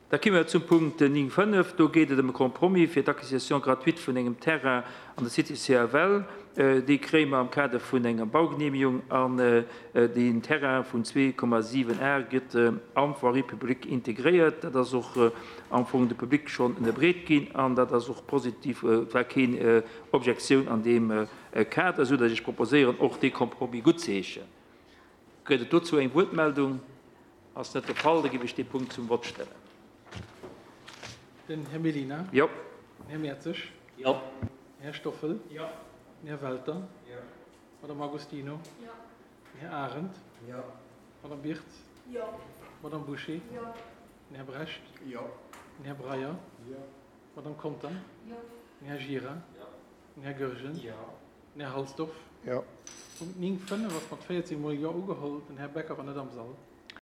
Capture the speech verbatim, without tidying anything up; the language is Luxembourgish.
Da komme mer zum Punkt néng fënnef. Do geet et ëm e Compromis fir d'Acquisition gratuite vun engem Terrain an der Cité C F L. Dee kréie mer am Kader vun enger Baugenehmigung an deen Terrain vun zwee Komma siwen Ar gëtt am Voirie publique integréiert. Dat ass och am Fong de Public schonn ënnerbreet ginn an dat ass och positiv, war keen Objektioun an deem Kader, esou datt ech proposéieren, och dee Compromis guttzeheeschen. Gëtt et dozou eng Wuertmeldung? Ass net de Fall, da géif ech dee Punkt zum Vott stellen. Den Här Mellina. Jo. Den Här Mertzig. Jo. Den Här Stoffel. Jo. Den Här Welter. Jo. Madame Agostino. Jo. Den Här Arendt. Jo. Madame Birtz. Jo. Madame Boucher. Jo. Den Här Brecht. Jo. Den Här Breyer. Jo. Madame Conter. Jo. Den Här Gira. Jo. Den Här Goergen. Jo. Den Här Halsdorf. Jo. Punkt néng fënnef ass mat véierzéng mol Jo ugeholl. Den Här Becker war net am Sall.